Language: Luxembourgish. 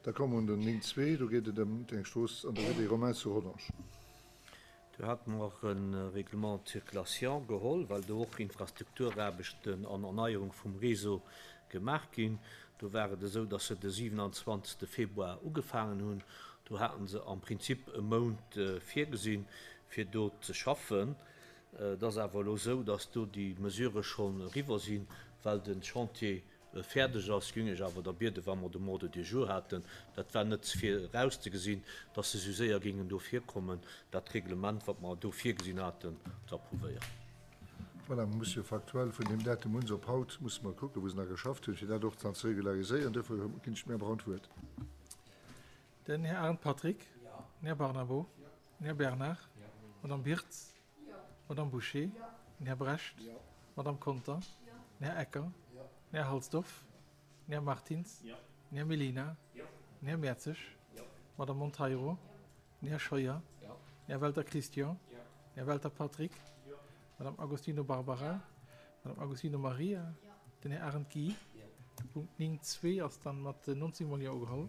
Da komme mer un den 9.2, do geet et ëm eng Strooss an der Rue des Romains zu Rodange. Do hate mer och e Règlement de circulation geholl, well do och Infrastrukturaarbechten an Erneierung vum Réseau gemaach ginn. Do war et esou, dass se de 27. Februar ugefaangen hunn. Do hate se am Prinzip e Mount virgesinn, fir do ze schaffen. Et ass awer elo esou, dass do déi Mesurë schonn eriwwer sinn, well de Chantier fäerdeg ass, géing ech awer da bieden, wa mer de Ordre du jour haten, dat war net virauszegesinn, dass se esou séier géingen do virkommen, dat Reglement, wat mer do virgesinn haten, ze approuvéieren. Voilà, mer musse jo faktuell vun deem Datum un op haut musse mer kucken, wou se nach geschafft hunn, fir dat och dann ze regulariséieren. Duerfir ginn ech dem Här Braun d'Wuert. Den Här Arendt Patrick. Den Här Barnabo. Den Här Bernard. D'Madame Birtz. D'Madame Bouché. Den Här Brecht. D'Madame Conter. Den Här Ecker. Den Här Halsdorf. Den Här Martins. Den Här Mellina. Den Här Mertzig. D'Madame Monteiro. Den Här Scheuer. Den Här Welter Christian. Den Här Welter Patrick. D'Madame Agostino Barbara. D'Madame Agostino Maria. Den Här Arendt Guy. De Punkt 9.2 ass dann mat 19 mol Jo ugeholl.